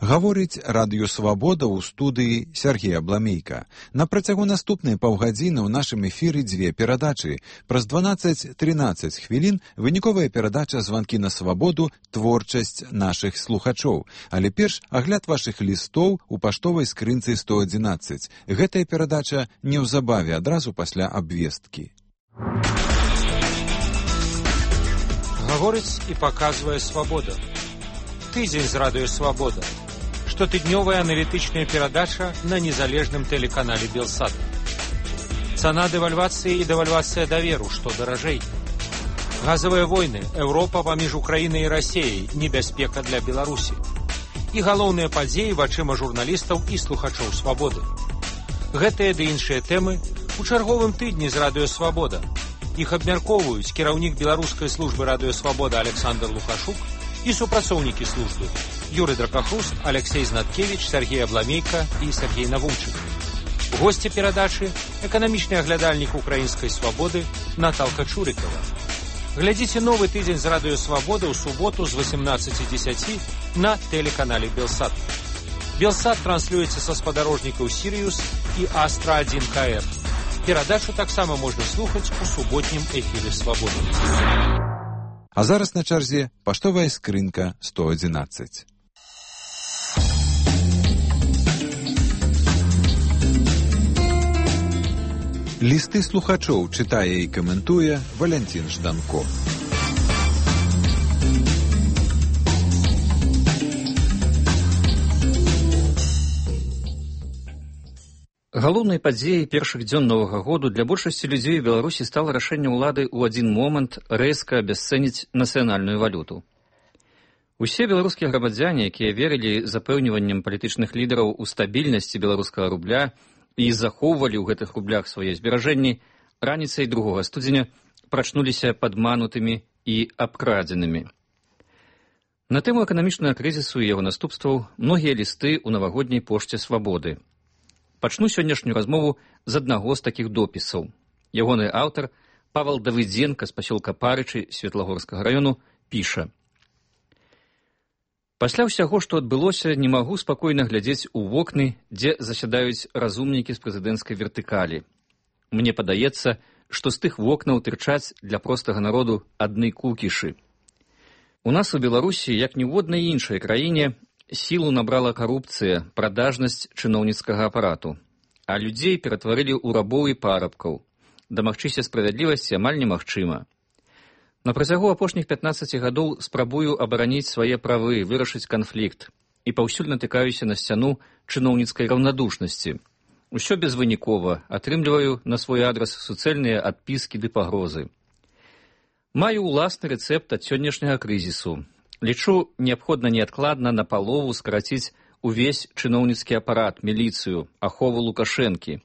Гаворыць радыё «Свабода» ў студыі Сергея Бламейка. На працягу наступнай паўгадзіны ў нашым эфіры дзве перадачы. Праз 12-13 хвілін выніковая перадача «Званкі на свабоду. Творчасць нашых слухачоў». Але перш агляд вашых лістоў у паштовай скрынцы 111. Гэтая перадача неўзабаве, адразу пасля абвесткі. Гаворыць і паказвае «Свабода». Тыдзень з радыё «Свабода». Штотыднёвая аналітычная перадача на незалежным тэлеканале «Белсат». Цана дэвальвацыі і дэвальвацыя даверу, што даражэй. Газавыя войны, Еўропа паміж Украінай і Расіяй, небяспека для Беларусі. І галоўныя падзеі вачыма журналістаў і слухачоў «Свабоды». Гэтыя ды іншыя тэмы у чарговым тыдні з радыё «Свабода». Іх абмяркоўваюць кіраўнік беларускай службы радыё «Свабода» Александр Лукашук і супрацоўнікі службы Юрый Дракахруст, Алексей Знаткевич, Сергей Абламейка і Сергей Навумчык. Госці перадачы – эканамічны аглядальнік украінскай «Свабоды» Наталка Чурыкова. Глядзіце новы тыдзень з радыё «Свабода» ў суботу з 18:10 на тэлеканале «Белсат». «Белсат» транслюецца са спадарожнікаў «Сіриус» і «Астра-1 КР». Перадачу таксама можна слухаць у суботнім эфіры «Свабоды». А зараз на чарзе паштовая скрынка 111. Лісты слухачоў чытае і каментуе Валянцін Жданко. Галоўнай падзеяй першых дзён новага году для большасці людзей у Беларусі стала рашэнне ўлады ў адзін момант рэзка абясцэніць нацыянальную валюту. Усе беларускія грамадзяне, якія верылі запэўніваннем палітычных лідараў у стабільнасці беларускага рубля і захоўвалі ў гэтых рублях свае зберажэнні, раніцай 2 студзеня прачнуліся падманутымі і абкрадзенымі. На тэму эканамічнага крызісу і яго наступстваў многія лісты ў навагодняй пошце «Свабоды». Пачну сённяшнюю размову з аднаго з такіх допісаў. Ягоны аўтар, Павал Давыдзенка з пасёлка Парычы Светлагорскага раёну, піша: «Пасля ўсяго, што адбылося, не магу спакойна глядзець у вокны, дзе засядаюць разумнікі з прэзідэнцкай вертыкалі. Мне падаецца, што з тых вокнаў тырчаць для простага народу адны кукішы. У нас у Беларусі, як ні ў однай іншай краіне, сілу набрала карупцыя, прадажнасць чыноўніцкага апарату, а людзей ператварылі ў рабоў і парабкаў. Дамагчыся справядлівасці амаль немагчыма. На працягу апошніх 15 гадоў спрабую абараніць свае правы, вырашыць канфлікт, і паўсюль натыкаюся на сцяну чыноўніцкай раўнадушнасці. Усё безвынікова, атрымліваю на свой адрас суцэльныя адпіскі ды пагрозы. Маю ўласны рэцэпт ад сённяшняга крызісу. Лічу неабходна неадкладна напалову скараціць увесь чыноўніцкі апарат, міліцыю, ахову Лукашэнкі,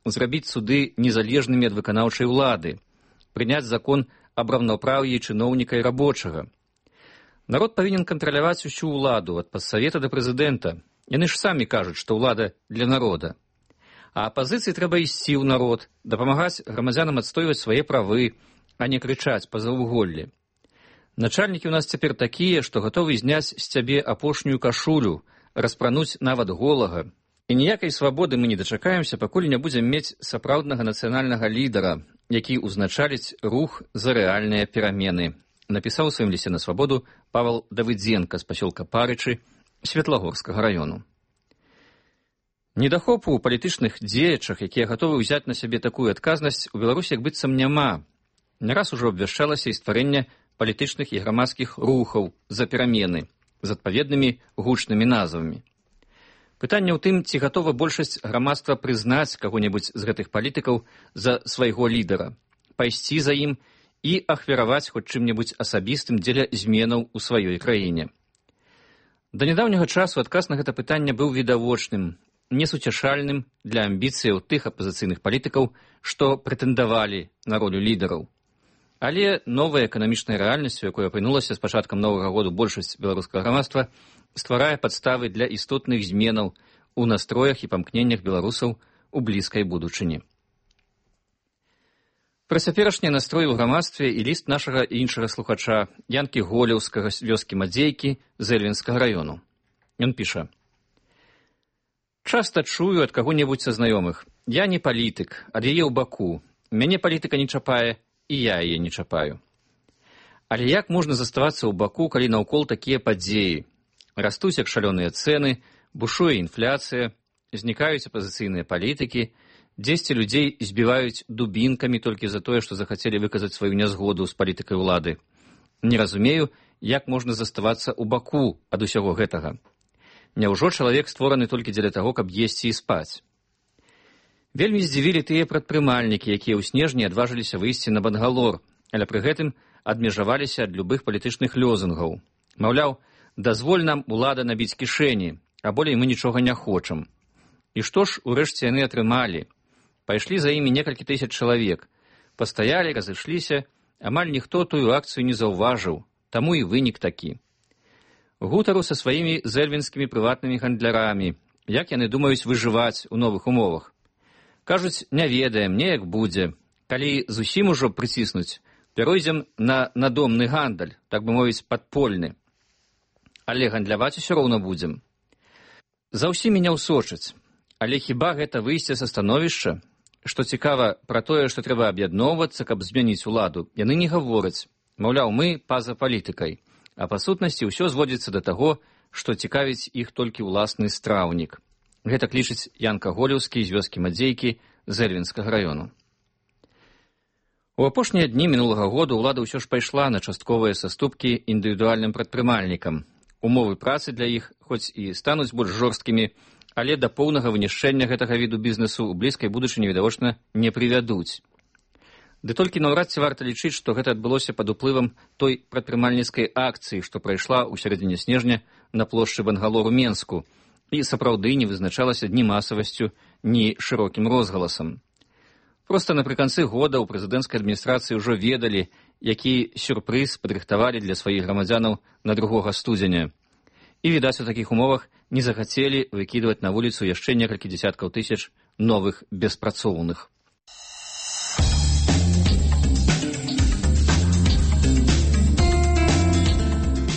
зрабіць суды незалежнымі ад выканаўчай улады, прыняць закон аб раўнапраўі чыноўніка і рабочага. Народ павінен кантраляваць усю ўладу, ад падсавета да прэзідэнта. Яны ж самі кажуць, што ўлада для народа. А апазіцыі трэба ісці ў народ, дапамагаць грамадзянам адстойваць свае правы, а не крычаць па заўвуголлі. Начальнікі ў нас цяпер такія, што гатовы зняць з цябе апошнюю кашулю, распрануць нават голага. І ніякай свабоды мы не дачакаемся, пакуль не будзем мець сапраўднага нацыянальнага лідара, які ўзначаліць рух за рэальныя перамены, напісаў у сваім лісце на свабоду Павал Давыдзенка з пасёлка Парычы Светлагорскага раёну. Недахопу ў палітычных дзеячах, якія гатовы ўзяць на сябе такую адказнасць, у Беларусі як быццам няма. Не раз ужо абвяшчалася і стварэнне палітычных і грамадскіх рухаў за перамены з адпаведнымі гучнымі назвамі. Пытанне ў тым, ці гатова большасць грамадства прызнаць каго-небудзь з гэтых палітыкаў за свайго лідара, пайсці за ім і ахвяраваць хоць чым-небудзь асабістым дзеля зменаў у сваёй краіне. Да нядаўняга часу адказ на гэта пытанне быў відавочным, несуцяшальным для амбіцыяў тых апазіцыйных палітыкаў, што прэтэндавалі на ролю лідараў. Але новая эканамічная рэальнасць, у якой апынулася з пачаткам новага году большасць беларускага грамадства, стварае падставы для істотных зменаў у настроях і памкненнях беларусаў у блізкай будучыні. Пра цяперашнія настроі ў грамадстве і ліст нашага іншага слухача Янкі Голеўскага з вёскі Мадзейкі з Эльвінскага раёну. Ён піша: Часта чую ад каго-небудзь са знаёмых: я не палітык, ад яе ў баку, мяне палітыка не чапае, і я яе не чапаю. Але як можна заставацца ў баку, калі наўкол такія падзеі? Растуць як шалёныя цэны, бушуе інфляцыя, знікаюць апазіцыйныя палітыкі, дзесьці людзей збіваюць дубінкамі толькі за тое, што захацелі выказаць сваю нязгоду з палітыкай улады. Не разумею, як можна заставацца ў баку ад усяго гэтага. Няўжо чалавек створаны толькі дзеля таго, каб есці і спаць? Вельмі здзівілі тыя прадпрымальнікі, якія ў снежні адважыліся выйсці на Бангалор, але пры гэтым адмежаваліся ад любых палітычных лёзунгаў. Маўляў, дазволь нам, улада, набіць кішэні, а болей мы нічога не хочам. І што ж урэшце яны атрымалі? Пайшлі за імі некалькі тысяч чалавек. Пастаялі, разышліся, амаль ніхто тую акцыю не заўважыў, таму і вынік такі. Гутару са сваімі зэльвінскімі прыватнымі гандлярамі, як яны думаюць выжываць у новых умовах. Кажуць, не ведаем, неяк будзе. Калі зусім ужо прыціснуць, перайдзем на надомны гандаль, так бы мовіць, падпольны. Але гандляваць усё роўна будзем. За ўсімі не ўсочаць. Але хіба гэта выйсце са становішча? Што цікава, пра тое, што трэба аб'ядноўвацца, каб змяніць уладу, яны не гавораць. Маўляў, мы па-за палітыкай. А па сутнасці ўсё зводзіцца да таго, што цікавіць іх толькі ўласны страўнік. Гэта лічыць Янка Голеўскі з вёскі Мадзейкі Зэльвінскага раёну. У апошнія дні мінулага года ўлада ўсё ж пайшла на частковыя саступкі індывідуальным прадпрымальнікам. Умовы працы для іх, хоць і стануць больш жорсткімі, але да поўнага вынішчэння гэтага віду бізнесу ў блізкай будучыні відавочна не прывядуць. Ды толькі наўрад ці варта лічыць, што гэта адбылося пад уплывам той прадпрымальніцкай акцыі, што прайшла ў сярэдзіне снежня на плошчы Бангалор у Менску, і сапраўды не вызначалася ні масавасцю, ні шырокім розгаласам. Проста напрыканцы года ў прэзідэнцкай адміністрацыі ўжо ведалі, які сюрпрыз падрыхтавалі для сваіх грамадзянаў на 2 студзеня. І, відаць, у такіх умовах не захацелі выкідваць на вуліцу яшчэ некалькі дзесяткаў тысяч новых беспрацоўных.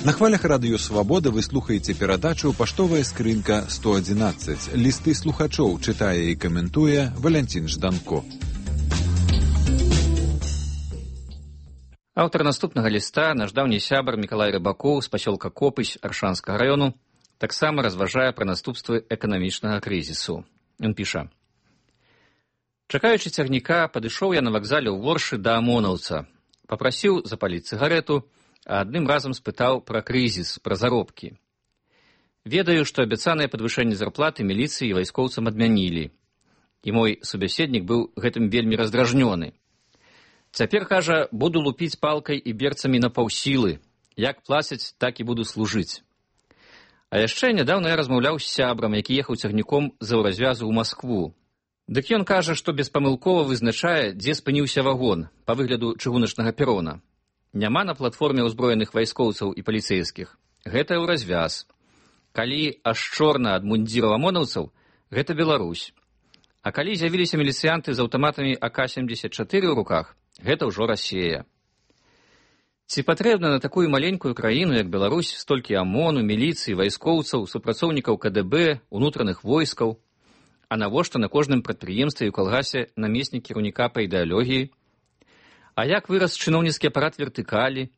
На хвалях радыё «Свабода» вы слухаеце перадачу «Паштовая скрынка 111». Лісты слухачоў чытае і каментуе Валянцін Жданко. Аўтар наступнага ліста, наш даўні сябар Мікалай Рыбакоў з пасёлка Копысь Аршанскага раёну, таксама разважае пра наступствы эканамічнага крызісу. Ён піша: «Чакаючы цягніка, падышоў я на вакзале ў Воршы да амонаўца. Папрасіў запаліць цыгарету, а адным разам спытаў пра крызіс, пра заробкі. Ведаю, што абяцанае падвышэнне зарплаты міліцыі і вайскоўцам адмянілі. І мой субяседнік быў гэтым вельмі раздражнёны. Цяпер, кажа, буду лупіць палкай і берцамі на паўсілы. Як плацяць, так і буду служыць. А яшчэ нядаўна я размаўляў з сябрам, які ехаў цягніком з аўразвязу ў Маскву. Дык ён кажа, што беспамылкова вызначае, дзе спыніўся вагон па выгляду чыгуначнага перона. Няма на платформе ўзброеных вайскоўцаў і паліцэйскіх. Гэта ўразвяз. Калі аж чорна ад мундзіраў амонаўцаў, гэта Беларусь. А калі з'явіліся міліцыянты з аўтаматамі АК-74 ў руках, гэта ўжо Расія. Ці патрэбна на такую маленькую краіну, як Беларусь, столькі АМОНу, міліцыі, вайскоўцаў, супрацоўнікаў КДБ, унутраных войскаў? А навошта на кожным прадпрыемстве і ў калгасе намеснік кіраўніка па ідэалогіі? А як вырас чыноўніцкі апарат вертыкалі?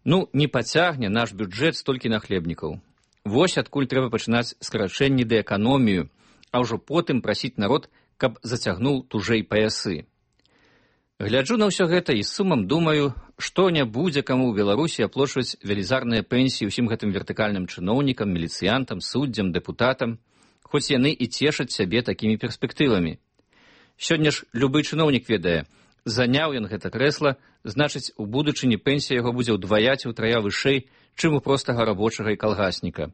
Ну, не пацягне наш бюджэт столькі нахлебнікаў. Вось адкуль трэба пачынаць скарачэнні ды эканомію, а ўжо потым прасіць народ, каб зацягнуў тужэй паясы. Гляджу на ўсё гэта і з сумам думаю, што не будзе каму ў Беларусі аплочваць велізарныя пенсіі ўсім гэтым вертыкальным чыноўнікам, міліцыянтам, суддзям, дэпутатам, хоць яны і цешаць сябе такімі перспектывамі. Сёння ж любы чыноўнік ведае, заняў ён гэта крэсла, значыць, у будучыні пенсія яго будзе ўдвая ці ўтрая вышэй, чым у простага рабочага і калгасніка.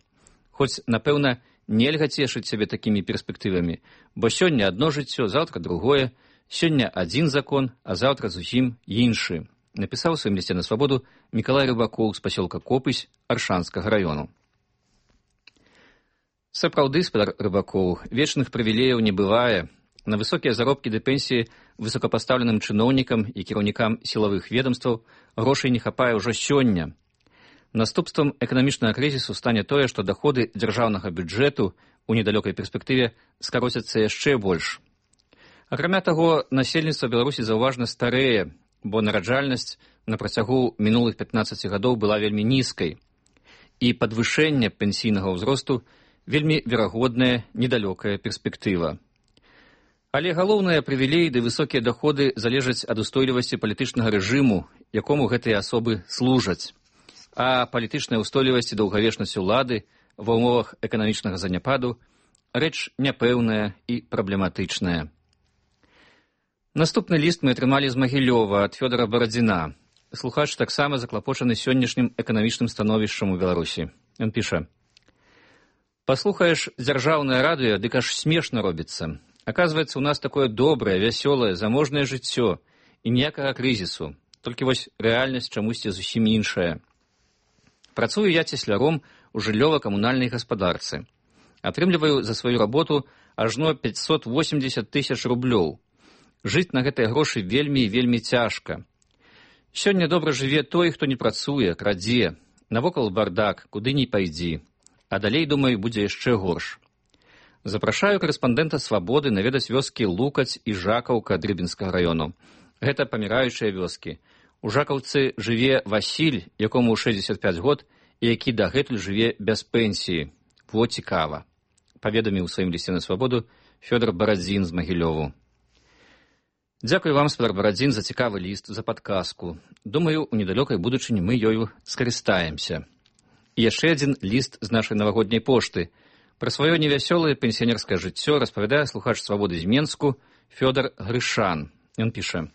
Хоць, напэўна, нельга цешыць сябе такімі перспектывамі, бо сёння адно жыццё, заўтра другое, сёння адзін закон, а заўтра зусім іншы. Напісаў у сваім лісце на свабоду Мікалай Рыбакоў з пасёлка Копысь Аршанскага раёну. Сапраўды, спадар Рыбакоў, вечных прывілеяў не бывае. На высокія заробкі ды пенсіі высокапастаўленым чыноўнікам і кіраўнікам сілавых ведомстваў грошай не хапае ўжо сёння. Наступствам эканамічнага крызісу стане тое, што даходы дзяржаўнага бюджэту у недалёкай перспектыве скароцяцца яшчэ больш. Акрамя таго, насельніцтва Беларусі заўважна старэе, бо нараджальнасць на працягу мінулых 15 гадоў была вельмі нізкай, і падвышэнне пенсійнага ўзросту вельмі верагодная недалёкая перспектыва. Але галоўныя прывілеі ды высокія даходы залежаць ад устойлівасці палітычнага рэжыму, якому гэтыя асобы служаць. А палітычная ўстойлівасць і даўгавечнасць улады ва ўмовах эканамічнага заняпаду рэч няпэўная і праблематычная. Наступны ліст мы атрымалі з Магілёва ад Фёдара Барадзіна. Слухач таксама заклапочаны сённяшнім эканамічным становішчам у Беларусі. Ён піша: «Паслухаеш дзяржаўнае радыё, дык аж смешна робіцца. Аказваецца, у нас такое добрае, вясёлае, заможнае жыццё і ніякага крызісу. Толькі вось рэальнасць чамусьці зусім іншая. Працую я цесляром у жыллёва-камунальнай гаспадарцы. Атрымліваю за сваю работу ажно 580 тысяч рублёў. Жыць на гэтыя грошы вельмі і вельмі цяжка. Сёння добра жыве той, хто не працуе, крадзе, навокал бардак, куды ні пайдзі. А далей, думаю, будзе яшчэ горш. Запрашаю корэспандэнта «Свабоды» наведаць вёскі Лукаць і Жакаўка Дрыбінскага раёну. Гэта паміраючыя вёскі. У Жакаўцы жыве Васіль, якому 65 год, і які дагэтуль жыве без пенсіі. Во цікава. Паведаміў у сваім лісце на «Свабоду» Фёдор Барадзін з Магілёву. Дзякую вам, спадар Барадзін, за цікавы ліст, за падказку. Думаю, у недалёкай будучыні мы ёю скарыстаемся. І яшчэ адзін ліст з нашай навагодняй пошты. Пра сваё невясёлае пенсіянерскае жыццё распавядае слухач «Свабоды» з Менску Фёдор Грышан. Ён піша: